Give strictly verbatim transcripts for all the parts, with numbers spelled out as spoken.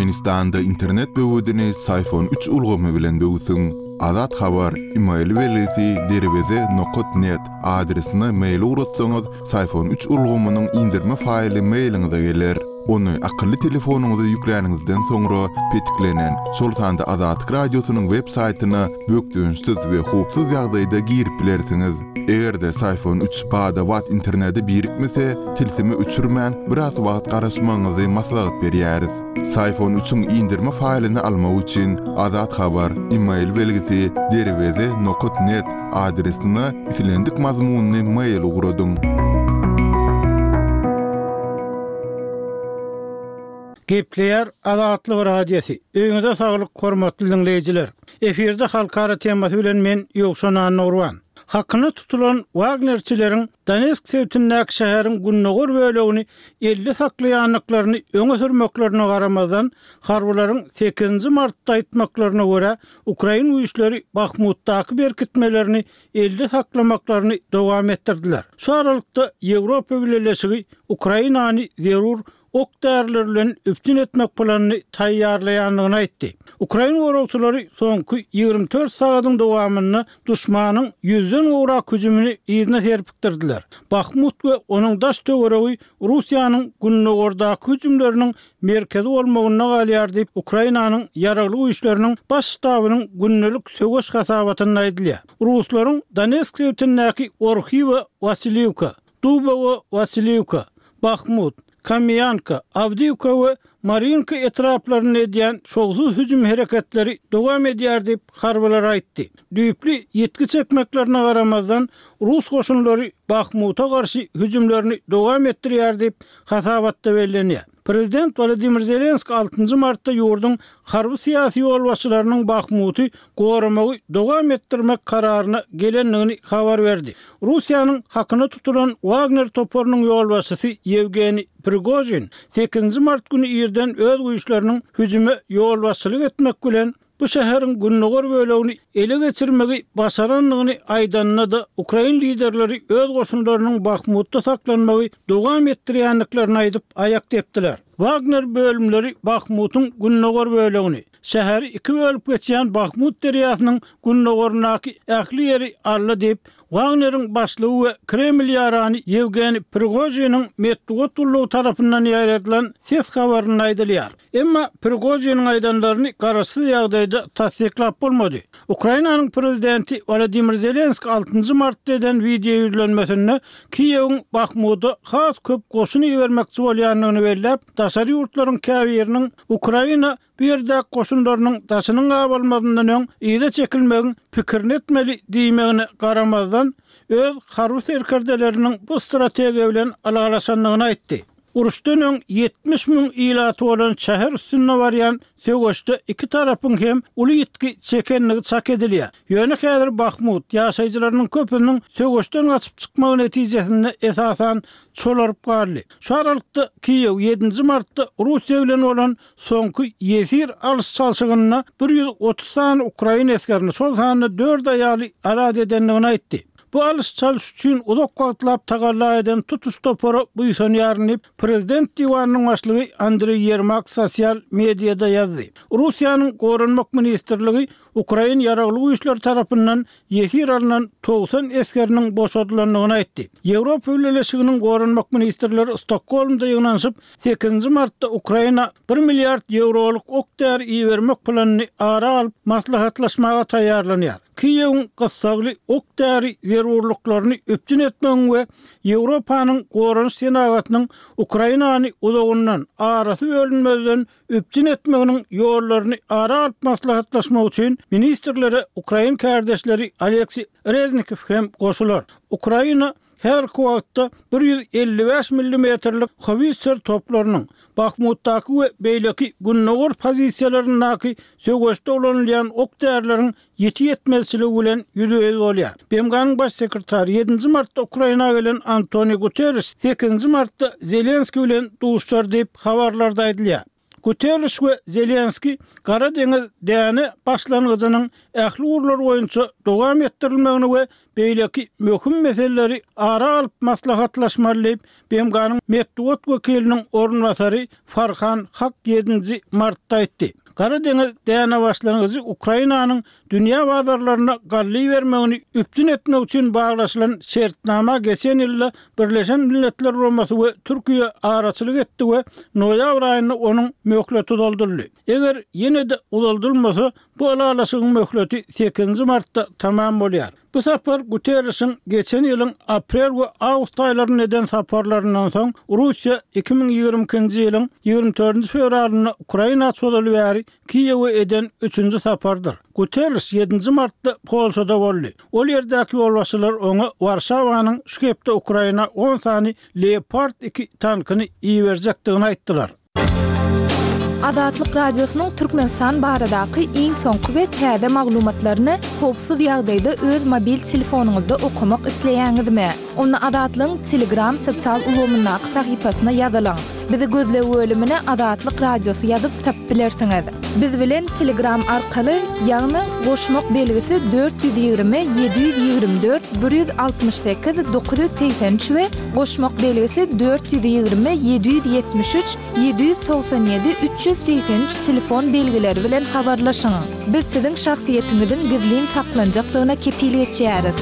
Türkmenistanda internet böwedini Syfon üç ulgamy bilen böwsüň. Azat Habar, email belgisi derweze nokat net adresine mail ugratsaňyz, Syfon üç ulgamynyň indirme faýly mailiňize geler. Ony akylly telefonyňyza ýükläniňizden soňra petiklenen, şol sanda Azatlyk radiosynyň web saýtyna bökdençsiz we howpsuz ýagdaýda girip bilersiňiz. Eger-de Syfon üç bada-bat internete birikmese, tilsimi öçürmän biraz wagt garaşmagyňyzy maslahat berýäris. Syfon üçiň indirme faýlyny almak üçin Azat Habar, email belgisi derweze nokat net adresine islendik mazmunyny mail ugradyň. Gepleýär Azatlyk Radiosy. Öýüňize saglyk hormatly dinleýjiler. Efirde halkara temasy bilen men Ýowşan Annurwan. Hakyna tutulan Wagnerçileriň Donetsk sebitindäki şäheriň gündogar bölegini elli saklaýandyklaryny öňe sürmeklerine garamazdan, harbylaryň sekizinji martda aýtmaklaryna görä, Ukrain güýçleri Bahmutdaky berkitmelerini elde saklamaklaryny dowam etdirdiler. Şu aralykda Ýewropa Bileleşigi Ukrainany zerur ok därileri bilen üpjün etmek planyny taýýarlaýandygyny aýtdy. Ukrain goragçylary soňky ýigrimi dört sagadyň dowamynda duşmanyň ýüzden gowrak hüjümini yzyna serpikdirdiler. Bahmut we onuň daş töweregi Russiýanyň gündogardaky hüjümleriniň merkezi bolmagynda galýar diýip, Ukrainanyň ýaragly güýçleriniň baş ştabynyň gündelik söweş hasabatynda aýdylýar. Ruslaryň Donetsk sebitindäki Orhiwa Wasiliwka, Dubowo Wasiliwka, Bahmut, Kamýanka, Awdiwka we Marinka etraplarynda edýän şowsuz hüjüm hereketleri dowam edýär diýip, harbylar aýtdy. Düýpli ýitgi çekmeklerine garamazdan, rus goşunlary Bahmuta garşy hüjümlerini dowam etdirýär diýip, hasabatda bellenýär. Prezident Wladimir Zelenski altynjy martda ýurduň harby-syýasy ýolbaşçylarynyň Bahmuty goramagy dowam etdirmek kararyna gelendigini habar berdi. Russiýanyň hakyna tutulan Wagner toparynyň ýolbaşçysy Ýewgeniý Prigožin sekizinji mart güni irden öz güýçleriniň hüjüme ýolbaşçylyk etmek bilen bu şäheriň gündogar bölegini ele geçirmegi başarandygyny aýdanda-da, ukrain liderleri öz goşunlarynyň Bahmutda saklanmagy dowam etdirýändiklerini aýdyp, aýak depdiler. Wagner bölümleri Bahmutyň gündogar bölegini, şäheri iki bölüp geçýän Bahmut derýasynyň gündogaryndaky ähli ýeri aldy diýip, Wagneriň başlygy we Kreml ýarany Ýewgeniý Prigožiniň metbugat gullugy tarapyndan ýaýradylan ses habarynda aýdylýar. Emma Prigožiniň aýdanlaryny garaşsyz ýagdaýda tassyklap bolmady. Ukrainanyň prezidenti Wolodymyr Zelenskiý altynjy martda eden wideo ýüzlenmesinde Kiýewiň Bahmuda has köp goşun ibermekçi bolýandygyny belläp, daşary ýurtlaryň käbiriniň Ukraina bu ýerdäki goşunlarynyň daşynyň gabalmazyndan öň yza çekilmegiň pikirini etmeli diýmegine garamazdan, öz harby serkerdeleriniň bu strategiýa bilen ylalaşandygyny aýtdy. Uruşdan öň ýetmiş müň ilaty bolan şäher üstünde barýan söweşde iki tarapyň hem uly ýitgi çekendigi çak edilýär. Ýöne häzir Bahmut ýaşaýjylarynyň köpüsiniň söweşden gaçyp çykmagy netijesinde esasan çolaryp galdy. Şu aralykda Kiýew ýedinji martda Russiýa bilen bolan soňky ýesir alyş-çalşygynda bir ýüz otuz sany ukrain esgerini, şol sanda dört aýaly azat edendigini aýtdy. Bu alyş-çalyş üçin uzak wagtlap tagalla eden tutuş topara buýsanýaryn diýip, prezident diwanynyň başlygy Andreý Ýermak sosial mediada ýazdy. Russiýanyň Goranmak ministrligi ukrain ýaragly güýçleri tarapyndan ýesir alnan togsan esgeriniň boşadylandygyny aýtdy. Ýewropa Bileleşiginiň Goranmak ministrleri Stokgolmda ýygnanyşyp, sekizinji martda Ukraina bir milliard ýewrolyk ok-däri ibermek planyny ara alyp maslahatlaşmaga taýýarlanýar. Kiýewiň gyssagly ok-däri zerurlyklaryny üpjün etmegiň we Ýewropanyň goranyş senagatynyň Ukrainany uzagyndan, arasy bölünmezden üpjün etmeginiň ýollaryny ara alyp maslahatlaşmak üçin ministrlere ukrain kärdeşleri Oleksiý Reznikow hem goşular. Ukraina häzirki wagtda bir ýüz elli bäş millimetrlik howitser toplarynyň, Bahmutdaky we beýleki gündogar pozisiýalaryndaky söweşde ulanylýan ok-därileriň ýiti ýetmezçiligi bilen ýüzbe-ýüz bolýar. B M G-nyň baş sekretary ýedinji martda Ukraina gelen Antoniu Guterres sekizinji martda Zelenskiý bilen duşar diýip, habarlarda aýdylýar. Guterriş we Zelenskiý Gara deňiz däne başlangyjynyň ähli ugurlar boýunça dowam etdirilmegini we beýleki möhüm meseleleri ara alyp maslahatlaşmaly diýip, B M G-nyň metbugat wekiliniň orunbasary Farhan Hak ýedinji martda aýtdy. Gara deňiz däne başlangyjy Ukrainanyň dünýä bazarlaryna galla bermegini üpjün etmek üçin baglaşylan şertnama geçen ýylda Birleşen Milletler Guramasy we Türkiýe araçylyk etdi we noýabr aýynda onuň möhleti uzaldyldy. Eger ýene-de uzaldylmasa, bu ylalaşygyň möhleti sekizinji martda tamam bolýar. Bu sapar Guterrişiň geçen ýylyň aprel we awgust aýlarynda eden saparlaryndan soň, Russiýa iki müň ýigrimi ikinji ýylyň ýigrimi dördünji fewralynda Ukraina çozuly bäri Kiýewe eden üçünji sapardyr. Guterriş ýedinji martda Polşada boldy. Ol ýerdäki ýolbaşçylar oňa Warşawanyň şu hepde Ukraina on sany Leopard iki tankyny iberjekdigini aýtdylar. Azatlyk Radiosynyň Türkmenistan baradaky iň soňky we täze maglumatlaryny howpsuz ýagdaýda öz mobil telefonyňyzda okamak isleýäňizmi? Onda Azatlygyň Telegram sosial ulgamyndaky sahypasyna ýazylyň. Bizi gözleg bölümine Azatlyk Radiosy ýazyp tapyp bilersiňiz. Biz bilen Telegram arkaly, ýagny goşmak belgisi dört ýüz ýigrimi ýedi ýüz ýigrimi dört bir ýüz altmyş sekiz dokuz ýüz segsen üç we goşmak belgisi dört ýüz ýigrimi ýedi ýüz ýetmiş üç ýedi ýüz togsan ýedi üç ýüz segsen üç telefon belgileri bilen habarlaşyň. Biz siziň şahsyýetiňiziň gizlin saklanjakdygyna kepil geçýäris.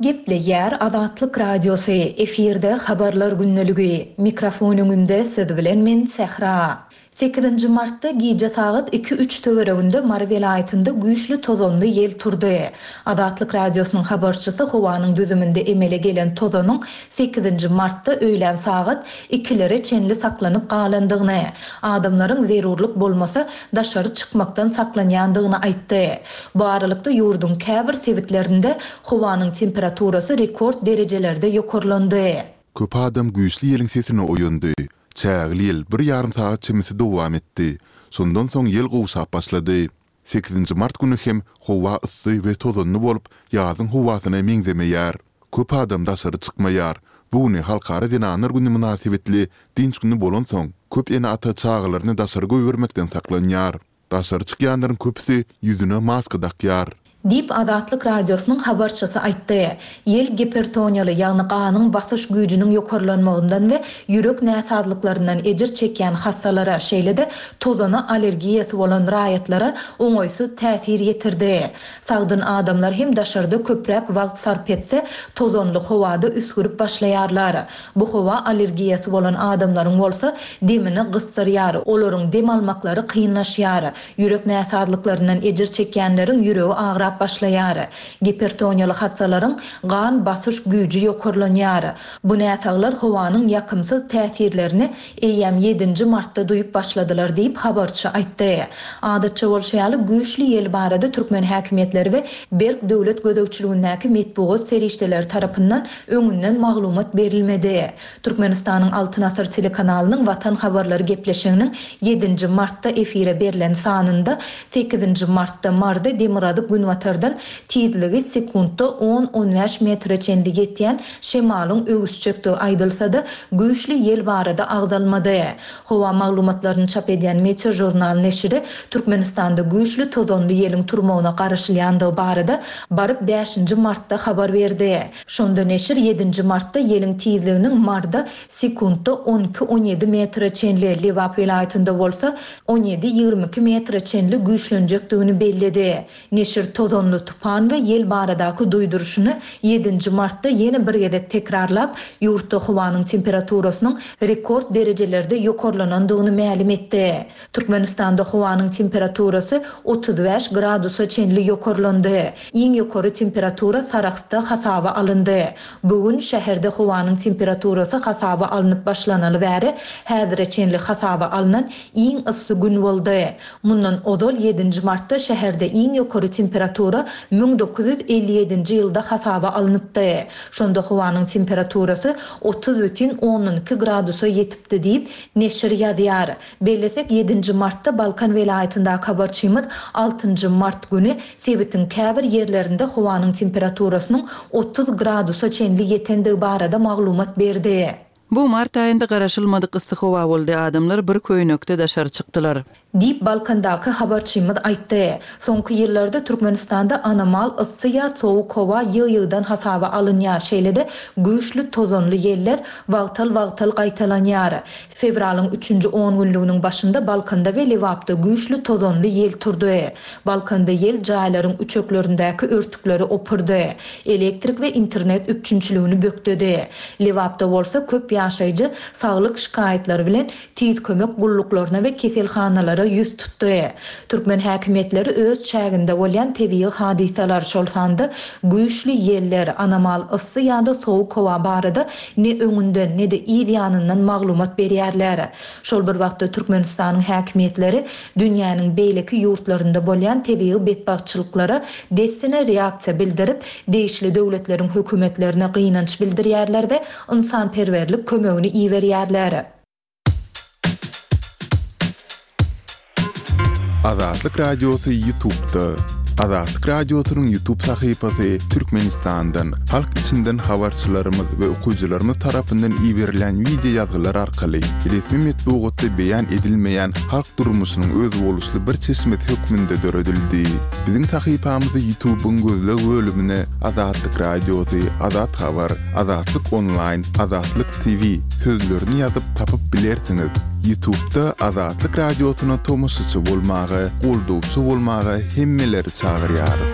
Gepleýär Azatlyk Radiosy, efirde Habarlar gündeligi. Mikrofon öňünde siz bilen men Sähra. Sekizinji martda gije sagat iki-üç töwereginde Mary welaýatynda güýçli tozanly ýel turdy. Azatlyk Radiosynyň habarçysy howanyň düzüminde emele gelen tozanyň sekizinji martda öýlän sagat ikilere çenli saklanyp galandygyny, adamlaryň zerurlyk bolmasa daşary çykmakdan saklanýandygyny aýtdy. Bu aralykda ýurduň käbir sebitlerinde howanyň temperaturasy rekord derejelerde ýokarlandy. Köp adam güýçli ýeliň sesine oýandy. Çägeli ýel bir ýarym sagat çemesi dowam etdi. Şondan soň ýel gowşap başlady. Sekizinji mart güni hem howa yssy we tozanly bolup, ýazyň howasyna meňzemeýär. Köp adam daşary çykmaýar. Bu güni Halkara zenanlar güni mynasybetli dynç güni bolansoň, köp ene-ata çagalaryny daşary goýbermekden saklanýar. Daşary çykýanlaryň köpüsi ýüzüne maska dakýar. Diýip, Azatlyk Radiosynyň habarçysy aýtdy. Ýel gipertoniýaly, ýagny ganyň basyş güýjüniň ýokarlanmagyndan we ýürek näsazlyklaryndan ejir çekýän hassalara, şeýle-de tozana allergiýasy bolan raýatlara oňaýsyz täsir ýetirdi. Sagdyn adamlar hem daşarda köpräk wagt sarp etse, tozanly howada üsgürip başlaýarlar. Bu howa allergiýasy bolan adamlaryň bolsa demini gysdyrýar, olaryň dem almaklary kynlaşýar. Ýürek näsazlyklaryndan ejir çekýänleriň ýüregi agrap başlaýar. Gipertoniýaly hassalaryň gan basyş güýji ýokarlanýar. Bu näsaglar howanyň ýakymsyz täsirlerini eýýäm ýedinji martda duýup başladylar diýip habarçy aýtdy. Adatça bolşy ýaly güýçli ýel barada türkmen häkimiýetleri we berk döwlet gözegçiligindäki metbugat serişdeleri tarapyndan öňünden maglumat berilmedi. Türkmenistanyň Altyn Asyr telekanalynyň Watan habarlary gepleşiginiň ýedinji martda efire berlen sanynda sekizinji martda Marda demirgazyk günbatardan tizligi sekuntda on-on bäş metre çenli ýetýän şemalyň öwüsjekdigi aýdylsa-da, güýçli ýel barada agzalmady. Howa maglumatlaryny çap edýän Meteo Journal neşiri Türkmenistanda güýçli tozanly ýeliň turmagyna garaşylýandygy barada baryp bäşinji martda habar berdi. Şonda neşir ýedinji martda ýeliň tizliginiň Marda sekuntda on iki-on ýedi metre çenli, Lebap welaýatynda bolsa on ýedi-ýigrimi iki metre çenli güýçlenjekdigini belledi. Neşir tozanly tupan we ýel baradaky duýduryşyny ýedinji martda ýene bir gezek tekrarlap, ýurtda howanyň temperaturasynyň rekord derejelerde ýokarlanandygyny mälim etdi. Türkmenistanda howanyň temperaturasy otuz bäş gradusa çenli ýokarlandy. Iň ýokary temperatura Sarahsda hasaba alyndy. Bu gün şäherde howanyň temperaturasy hasaba alnyp başlanaly bäri häzire çenli hasaba alnan iň yssy gün boldy. Mundan ozal ýedinji martda şäherde iň ýokary temperatura müň dokuz ýüz elli ýedinji ýylda hasaba alnypdy. Şonda howanyň temperaturasy otuz bütin ondan iki gradusa ýetipdi diýip, neşir ýazýar. Bellesek, ýedinji martda Balkan welaýatyndaky habarçymyz altynjy mart güni sebitiň käbir ýerlerinde howanyň temperaturasynyň otuz gradusa çenli ýetendigi barada maglumat berdi. Bu mart aýynda garaşylmadyk yssy howa boldy, adamlar bir köýnekde daşary çykdylar. Diýip, Balkandaky habarçymyz aýtdy. Soňky ýyllarda Türkmenistanda anomal yssy ýa sowuk howa ýygy-ýygydan hasaba alynýar, şeýle-de güýçli tozanly ýeller wagtal-wagtal gaýtalanýar. Fewralyň üçünji on günlüginiň başynda Balkanda we Lebapda güýçli tozanly ýel turdy. Balkanda ýel jaýlaryň üçeklerindäki örtükleri opurdy, elektrik we internet üpjünçiligini bökdedi. Lebapda bolsa köp ýaşaýjy saglyk şikaýatlary bilen Tiz kömek gulluklaryna we keselhanalara ýüz tutdy. Türkmen häkimiýetleri öz çäginde bolýan tebigy hadysalar, şol sanda güýçli ýeller, anomal yssy ýa-da sowuk howa barada ne öňünden, ne-de yz ýanyndan maglumat berýärler. Şol bir wagtda Türkmenistanyň häkimiýetleri dünýäniň beýleki ýurtlarynda bolýan tebigy betbagtçylyklara dessine reaksiýa bildirip, degişli döwletleriň hökümetlerine gynanç bildirýärler we ynsanperwerlik kömegini iberýärler. Azatlyk Radiosy Ýutubda. Azatlyk Radiosynyň Ýutub sahypasy Türkmenistandan, halk içinden habarçylarymyz we okyjylarymyz tarapyndan iberilen wideo ýazgylar arkaly resmi metbugatda beýan edilmeýän halk durmuşynyň özboluşly bir çeşmesi hökmünde döredildi. Biziň sahypamyzy Ýutubyň gözleg bölümine Azatlyk Radiosy, Azat Habar, Azatlyk Onlaýn, Azatlyk T V sözlerini ýazyp tapyp bilersiňiz. Ýutubda Azatlyk Radiosyna tomaşaçy bolmaga, goldawçy bolmaga hemmeleri çagyrýarys.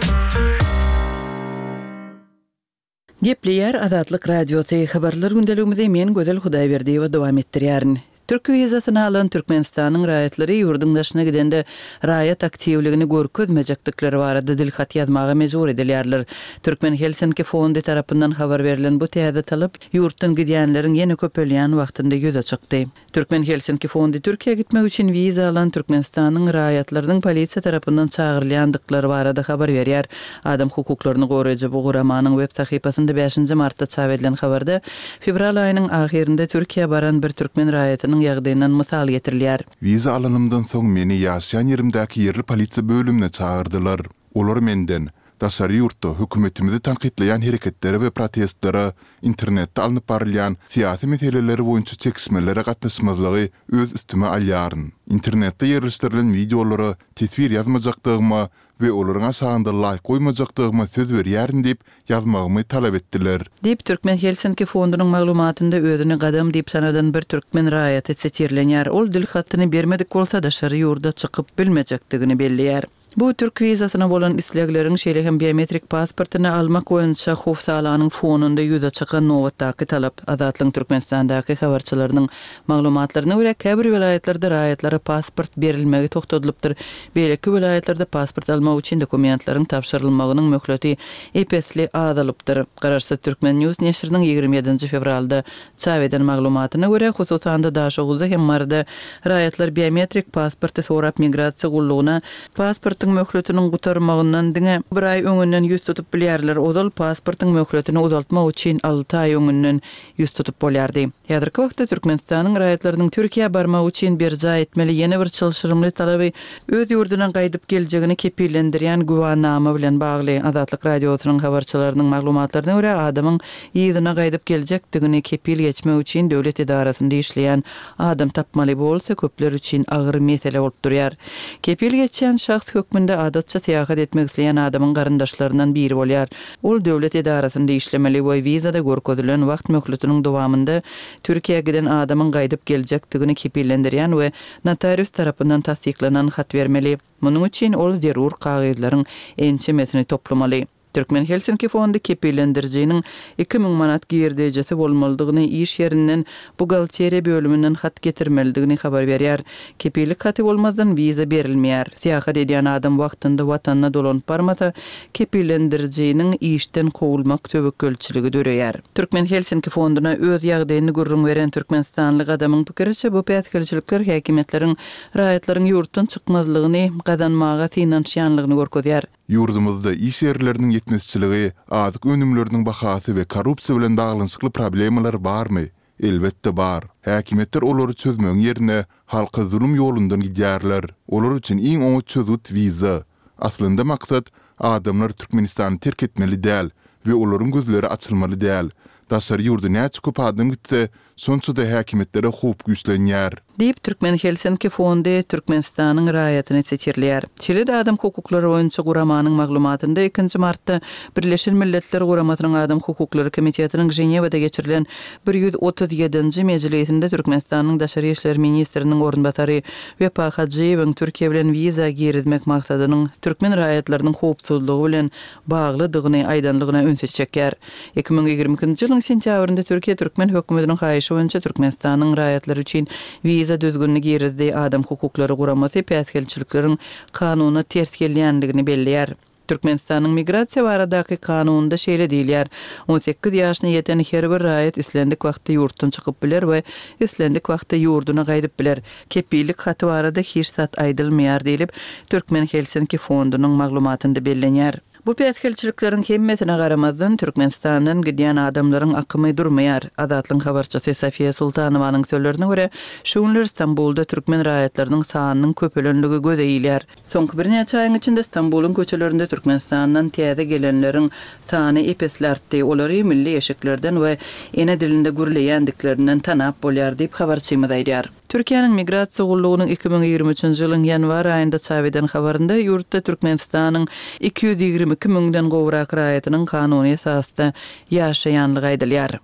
Gepleýär Azatlyk Radiosy habarlar gündeligimizi men Gözel Hudaýberdiýewa dowam etdirýärin. Türk wizasyny alan Türkmenistanyň raýatlary ýurduň daşyna gidende raýat aktiwligini görkezmejekdikleri barada dilhat ýazmaga mejbur edilýärler. Türkmen Helsinki fondy tarapyndan habar berlen bu täze talap ýurtdan gidýänleriň ýene köpelýän wagtynda ýüze çykdy. Türkmen Helsinki fondy Türkiýä gitmek üçin wiza alan Türkmenistanyň raýatlarynyň polisiýa tarapyndan çagyrylýandyklary barada habar berýär. Adam hukuklaryny goraýjy bu guramanyň web sahypasynda bäşinji martda çap edilen habarda fewral aýynyň ahyrynda Türkiýä baran bir türkmen raýatynyň ýagdaýyndan mysal getirilýär. Wiza alanymdan soň meni ýaşaýan ýerimdäki ýerli polisiýa bölümine çagyrdylar. Olar menden daşary ýurtda hökümetimizi tankytlaýan hereketlere we protestlere, internetde alnyp barylýan syýasy meseleleri boýunça çekişmelere gatnaşmazlygy öz üstüme alýaryn. Internetde ýerleşdirilen wideolara teswir ýazmajakdygyma we olaryň aşagynda laýk goýmajakdygyma söz berýärin diýip ýazmagymy talap etdiler. Diýip Türkmen Helsinki fondunyň maglumatynda özüni gadam diýip sanadan bir türkmen raýaty sitirlenýär. Ol dil hatyny bermedik bolsa daşary ýurda çykyp bilmejekdigini belleýär. Bu türk wizasyna bolan islegleriň şeýle hem biometrik pasportyny almak boýunça howsalanyň fonunda ýüze çykan nobatdaky talap. Azatlygyň Türkmenistandaky habarçylarynyň maglumatlaryna görä käbir welaýatlarda raýatlara pasport berilmegi togtadylypdyr. Beýleki welaýatlarda pasport almak üçin dokumentleriň tabşyrylmagynyň möhleti epesli azalypdyr. Garaşsyz Türkmen News neşiriniň ýigrimi ýedinji fewralda çap eden maglumatyna görä, hususan-da Daşoguzda hem Maryda raýatlar biometrik pasporty sorap migrasiýa gullugyna pasportyň möhletiniň gutarmagyndan diňe bir aý öňünden ýüz tutup bilýärler. Ozal pasportyň möhletini uzaltmak üçin alty aý öňünden ýüz tutup bolýardy. Häzirki wagtda Türkmenistanyň raýatlarynyň Türkiýä barmak üçin berjaý etmeli ýene bir çylşyrymly talaby öz ýurduna gaýdyp geljegini kepillendirýän güwänama bilen bagly. Azatlyk Radiosynyň habarçylarynyň maglumatlaryna görä, adamyň yzyna gaýdyp geljekdigini kepil geçmek üçin döwlet edarasynda işleýän adam tapmaly bolsa köpler üçin agyr mesele bolup durýar. Kepil geçýän şahs hökmünde adatça syýahat etmek isleýän adamyň garyndaşlaryndan biri bolýar. Ol döwlet edarasynda işlemeli we wizada görkezilen wagt möhletiniň dowamynda Türkiýä giden adamyň gaýdyp geljekdigini kepillendirýän we notarius tarapyndan tassyklanan hat bermeli. Munuň üçin ol zerur kagyzlaryň ençemesini toplamaly. Türkmen Helsinki fondy kepillendirijiniň iki müň manat girdejesi bolmalydygyny, iş ýerinden buhgalteriýa bölüminden hat getirmelidigini habar berýär. Kepillik haty bolmazdan wiza berilmeýär. Syýahat edýän adam wagtynda watanyna dolanyp barmasa, kepillendirijiniň işden kowulmak töwekgelçiligi döreýär. Türkmen Helsinki fonduna öz ýagdaýyny gürrüň beren Türkmenistanly gadamyň pikiriçe bu päsgelçilikler häkimiýetleriň raýatlaryň ýurtdan çykmazlygyny gazanmaga synanyşýanlygyny görkezýär. Ýurdumyzda iş ýerleriniň ýetmezçiligi, azyk önümleriniň bahasy we korrupsiýa bilen baglanyşykly problemalar barmy? Elbetde bar. Häkimiýetler olary çözmegiň ýerine halka zulum ýolundan gidýärler. Olar üçin iň oňat çözgüt wiza. Aslynda maksat adamlar Türkmenistany terk etmeli däl we olaryň gözleri açylmaly däl. Daşary ýurda näçe köp adam gitse, şonça-da häkimiýetlere howp güýçlenýär. Diýip, Türkmen Helsinki fondy Türkmenistanyň raýatyny sitirleýär. Şeýle-de adam hukuklary boýunça guramanyň maglumatynda ikinji martda Birleşen Milletler Guramasynyň Adam hukuklary komitetiniň Ženewada geçirilen bir ýüz otuz ýedinji mejlisinde Türkmenistanyň daşary işler ministriniň orunbasary Wepa Hajyýewiň Türkiýe bilen wiza girizmek maksadynyň türkmen raýatlarynyň howpsuzlygy bilen baglydygyny aýdanlygyna ünsi çekýär. Iki müň ýigrimi ikinji ýylyň sentýabrynda Türkiýe türkmen hökümetiniň haýyşy boýunça Türkmenistanyň raýatlary üçin wiza düzgünini girizdi. Adam hukuklary guramasy päsgelçilikleriň kanuna ters gelýändigini belleýär. Türkmenistanyň migrasiýa baradaky kanunynda şeýle diýilýär, on sekiz ýaşyna ýeten her bir raýat islendik wagtda ýurtdan çykyp biler we islendik wagtda ýurduna gaýdyp biler. Kepillik haty barada hiç zat aýdylmaýar diýlip, Türkmen Helsinki fondunyň maglumatynda bellenýär. Bu päsgelçilikleriň hemmesine garamazdan, Türkmenistandan gidýän adamlaryň akymy durmaýar. Azatlygyň habarçysy Sofiýa Sultanowanyň sözlerine görä, şu günler Stambulda türkmen raýatlarynyň sanynyň köpelenligi göze ilýär. Soňky birnäçe aýyň içinde Stambulyň köçelerinde Türkmenistandan täze gelenleriň sany ep-esli artdy. Olary milli eşiklerden we ene dilinde gürleýändiklerinden tanap bolýar diýip, habarçymyz aýdýar. Türkiýäniň Migrasiýa gullugynyň iki müň ýigrimi üçünji ýylyň ýanwar aýynda çap eden habarynda ýurtda Türkmenistanyň iki ýüz ýigrimi iki müňden gowrak raýatynyň kanuny esasda ýaşaýanlygy aýdylýar.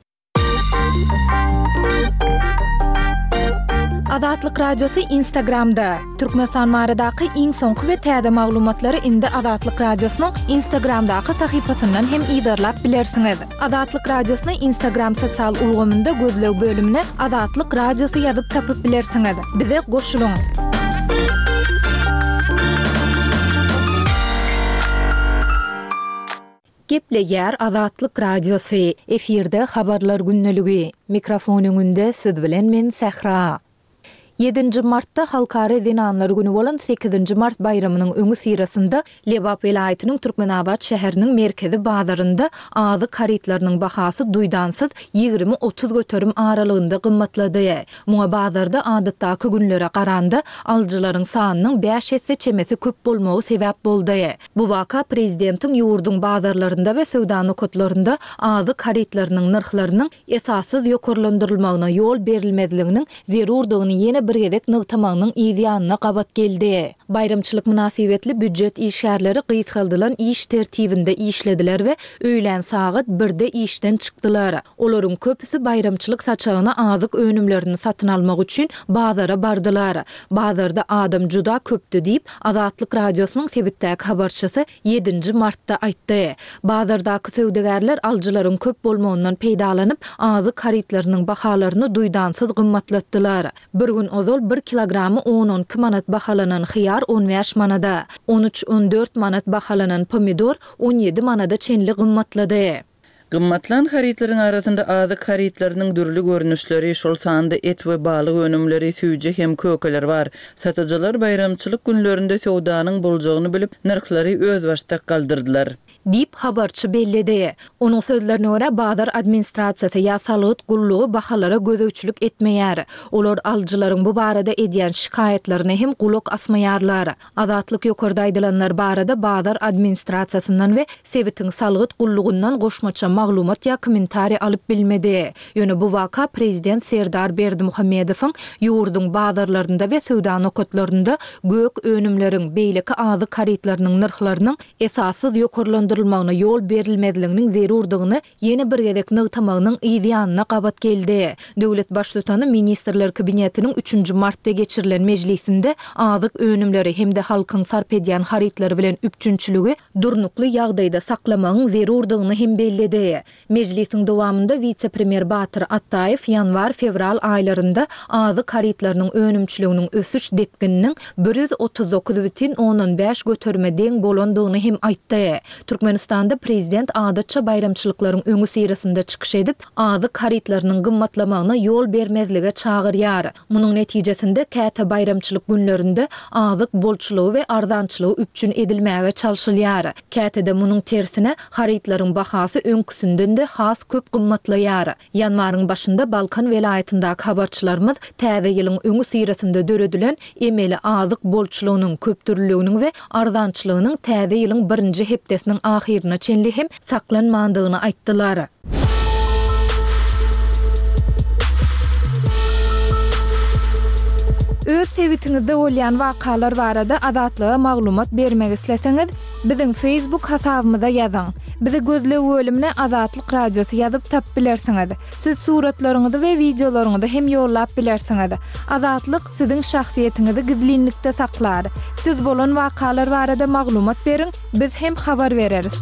Azatlyk Radiosy Instagramda. Türkmenistan baradaky iň soňky we täze maglumatlary indi Azatlyk Radiosynyň Instagramdaky sahypasyndan hem yzarlap bilersiňiz. Azatlyk Radiosyny Instagram sosial ulgamynda gözleg bölümine Azatlyk Radiosy ýazyp tapyp bilersiňiz. Bize goşulyň. Gepleýär Azatlyk Radiosy. Efirde habarlar gündeligi. Mikrofon öňünde siz bilen men Sähra. Ýedinji martda Halkara zenanlar güni bolan sekizinji mart baýramynyň öňi syrasynda Lebap welaýatynyň Türkmenabat şäheriniň merkezi bazarynda azyk harytlarynyň bahasy duýdansyz ýigrimi-otuz göterim aralygynda gymmatlady. Muňa bazarda adatdaky günlere garanda alyjylaryň sanynyň bäş esse çemesi köp bolmagy sebäp boldy. Bu waka prezidentiň ýurduň bazarlarynda we söwda nokatlarynda azyk harytlarynyň nyrhlarynyň esassyz ýokarlandyrylmagyna ýol berilmezliginiň zerurdygyny ýene bir gezek nygtamagynyň yz ýanyna gabat geldi. Baýramçylyk mynasybetli býujet işgärleri gysgaldylan iş tertibinde işlediler we öýlän sagat birde işden çykdylar. Olaryň köpüsi baýramçylyk saçagyna azyk önümlerini satyn almak üçin bazara bardylar. Bazarda adam juda köpdü diýip, Azatlyk Radiosynyň sebitdäki habarçysy ýedinji martda aýtdy. Bazardaky söwdagärler alyjylaryň köp bolmagyndan peýdalanyp, azyk harytlarynyň bahalaryny duýdansyz gymmatlatdylar. Bir gün ozal bir kilogramy on-on iki manat bahalanan hyýar on bäş manada, on üç-on dört manat bahalanan pomidor on ýedi manada çenli gymmatlady. Gymmatlan harytlaryň arasynda azyk harytlarynyň dürli görnüşleri, şol sanda et we balyk önümleri, süýji hem kökeler bar. Satyjylar baýramçylyk günlerinde söwdanyň boljagyny bilip, nyrhlary özbaşdak galdyrdylar. Diýip, habarçy belledi. Onuň sözlerine görä, bazar administrasiýasy ýa salgyt gullugy bahalara gözegçilik etmeýär. Olar alyjylaryň bu barada edýän şikaýatlaryna hem gulak asmaýarlar. Azatlyk ýokarda aýdylanlar barada bazar administrasiýasyndan we sebitiň salgyt gullugyndan goşmaça maglumat ýa kommentariý alyp bilmedi. Ýöne bu waka prezident Serdar Berdimuhamedowyň ýurduň bazarlarynda we söwda nokatlarynda gök önümleriň, beýleki azyk harytlarynyň nyrhlarynyň esassyz ýokarlandyrylmagyna ýol berilmezliginiň zerurdygyny ýene bir gezek nygtamagynyň yz ýanyna gabat geldi. Döwlet baştutany Ministrler Kabinetiniň üçünji martda geçirilen mejlisinde azyk önümleri hem-de halkyň sarp edýän harytlary bilen üpjünçiligi durnukly ýagdaýda saklamagyň zerurdygyny hem belledi. Mejlisiň dowamynda wise-premýer Batyr Atdaýew ýanwar-fewral aýlarynda azyk harytlarynyň önümçiliginiň ösüş depgininiň bir ýüz otuz dokuz bütin ondan bäş göterime deň bolandygyny hem aýtdy. Türkmenistanda prezident adatça baýramçylyklaryň öňi syrasynda çykyş edip, azyk harytlarynyň gymmatlamagyna ýol bermezlige çagyrýar. Munuň netijesinde käte baýramçylyk günlerinde azyk bolçulygy we arzançylygy üpjün edilmäge çalşylýar. Käte-de munuň tersine harytlaryň bahasy öňküsinden-de has köp gymmatlaýar. Ýanwaryň başynda Balkan welaýatyndaky habarçylarymyz täze ýylyň öňi syrasynda döredilen emeli azyk bolçulygynyň, köpdürlüliginiň we arzançylygynyň täze ýylyň birinji hepdesiniň ahyryna çenli hem saklanmandygyny aýtdylar. Öz sebitiňizde bolýan wakalar barada Azatlyga maglumat bermek isleseňiz, biziň Facebook hasabymyza ýazyň. Bizi gözleg bölümine Azatlyk Radiosy ýazyp tapyp bilersiňiz. Siz suratlaryňyzy we wideolaryňyzy hem ýollap bilersiňiz. Azatlyk siziň şahsyýetiňizi gizlinlikde saklar. Siz bolan wakalar barada maglumat beriň, biz hem habar bereris.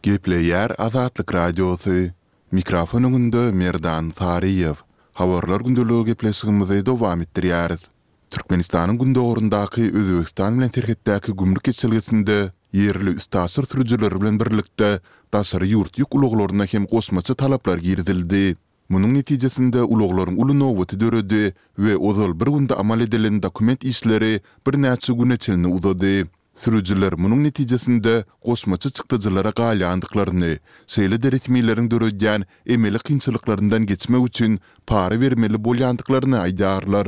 Gepleýär Azatlyk Radiosy. Mikrofon öňünde Merdan Saryýew. Habarlar gündeligi gepleşigimizi dowam etdirýäris. Türkmenistanyň gündogaryndaky Özbegistan bilen serhetdäki gümrük geçelgesinde ýerli üstaşyr sürüjileri bilen birlikde daşary ýurt ýük ulaglaryna hem goşmaça talaplar girizildi. Munuň netijesinde ulaglaryň uly nobaty döredi we ozal bir günde amal edilen dokument işleri birnäçe güne çenli uzady. Sürüjiler munuň netijesinde goşmaça çykdajylara galýandyklaryny, şeýle-de resmileriň döredýän emeli kynçylyklaryndan geçmek üçin para bermeli bolýandyklaryny aýdýarlar.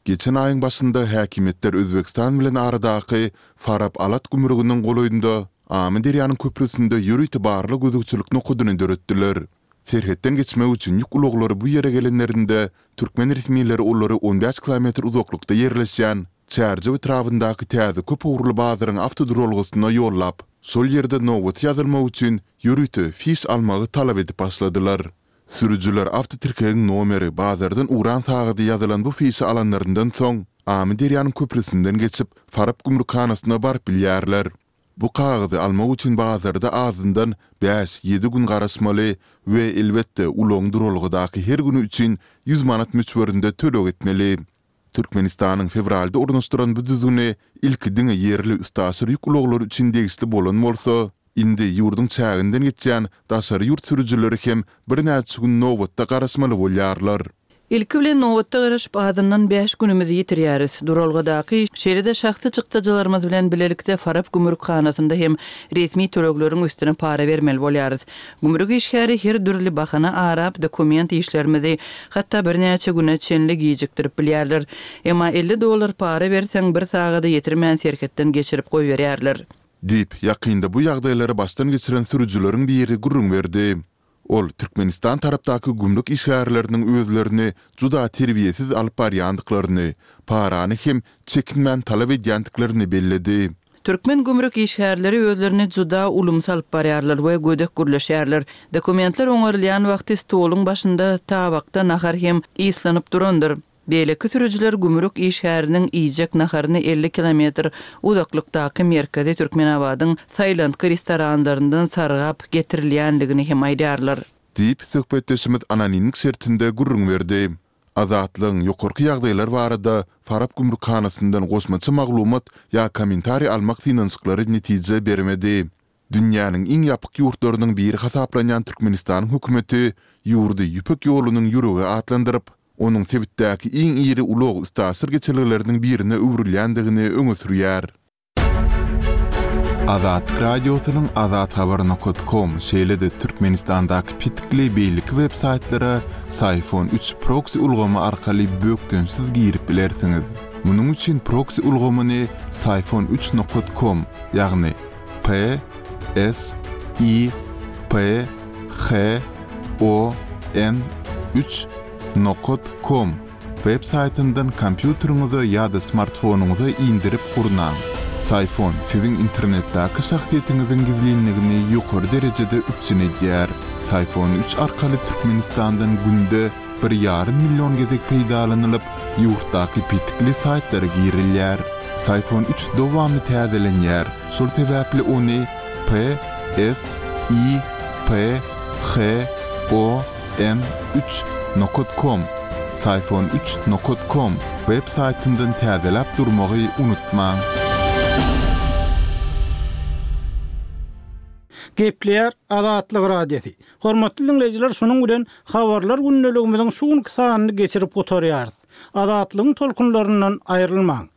Geçen aýyň başynda häkimiýetler Özbegistan bilen aradaky Farap-Alat gümrüginiň golaýynda Amyderýanyň köprüsinde ýörite barlag-gözegçilik nokadyny döretdiler. Serhetden geçmek üçin ýük ulaglary bu ýere gelenlerinde türkmen resmileri olary on bäş kilometr uzaklykda ýerleşýän Çärjew etrabyndaky täze köp ugurly bazaryň awtoduralgasyna ýollap, şol ýerde nobat ýazylmak üçin ýörite fiş almagy talap edip başladylar. Sürüjiler awtotirkegiň nomeri, bazardan ugran sagady ýazylan bu fişi alanlaryndan soň, Amyderýanyň köprüsinden geçip, Farap gümrükhanasyna baryp bilýärler. Bu kagyzy almak üçin bazarda azyndan bäş-ýedi gün garaşmaly we elbetde ulagyň duralgadaky her güni üçin ýüz manat möçberinde töleg etmeli. Türkmenistanyň fewralda ornaşdyran bu düzgüni ilki diňe ýerli üstaşyr ýük ulaglary üçin degişli bolan bolsa, indi ýurduň çäginden geçýän daşary ýurt sürüjileri hem birnäçe gün nobatda garaşmaly bolýarlar. Ilki bilen nobatda garaşyp azyndan bäş günümizi ýitirýäris. Duralgadaky, şeýle-de şahsy çykdajylarymyz bilen bilelikde Farap gümrükhanasynda hem resmi tölegleriň üstüne para bermeli bolýarys. Gümrük işgäri her dürli bahana arap dokument işlerimizi hatda birnäçe güne çenli gijikdirip bilýärler. Emma elli dollar para berseň bir sagada ýetirmän serhetden geçirip goýberýärler. Diýip, ýakynda bu ýagdaýlary başdan geçiren sürüjileriň biri gürrüň berdi. Ol Türkmenistan tarapdaky gümrük işgärleriniň özlerini juda terbiýesiz alyp barýandyklaryny, parany hem çekinmän talap edýändiklerini belledi. Türkmen gümrük işgärleri özlerini juda ulumsy alyp barýarlar we gödek gürleşýärler. Dokumentler oňarylýan wagty stoluň başynda tabakda nahar hem yslanyp durandyr. Beýleki sürüjiler gümrük işgäriniň iýjek naharyny elli kilometr uzaklykdaky merkezi Türkmenabadyň saýlantgy restoranlaryndan sargap getirilýändigini hem aýdýarlar. Diýip, söhbetdeşimiz anonimlik şertinde gürrüň berdi. Azatlygyň ýokarky ýagdaýlar barada Farap gümrükhanasyndan goşmaça maglumat ýa kommentariý almak synanyşyklary netije bermedi. Dünýäniň iň ýapyk ýurtlarynyň biri hasaplanýan Türkmenistanyň hökümeti ýurdy Ýüpek ýolunyň ýüregi atlandyryp, onuň sebitdäki iň iri ulag-üstaşyr geçelgeleriniň birine öwrülýändigini öňe sürýär. Azatlyk Radiosynyň azathabar nokat kom, şeýle-de Türkmenistandaky petikli beýleki web-saýtlara Syfon üç proksi ulgamy arkaly bökdençsiz girip bilersiňiz. Munuň üçin proksi ulgamyny Syfon üç nokat kom, ýagny P S I P H O N üç nokat kom web saýtyndan kompýuteriňize ýa-da smartfonyňyza indirip gurnaň. Syfon siziň internetdäki şahsyýetiňiziň gizlinligini ýokary derejede üpjün edýär. Syfon üç arkaly Türkmenistandan günde bir ýarym million gezek peýdalanylyp, ýurtdaky petikli saýtlara girilýär. Syfon üç dowamly täzelenýär, şol sebäpli ony P S I P H O N üç nokat kom, Syfon üç nokat kom, web saýtyndan täzeläp durmagy unutmaň. Gepleýär Azatlyk Radiosy. Hormatly diňleýjiler, şunuň bilen habarlar gündeligimiziň şu günki sanyny geçirip gutarýarys. Azatlygyň tolkunlaryndan aýrylmaň.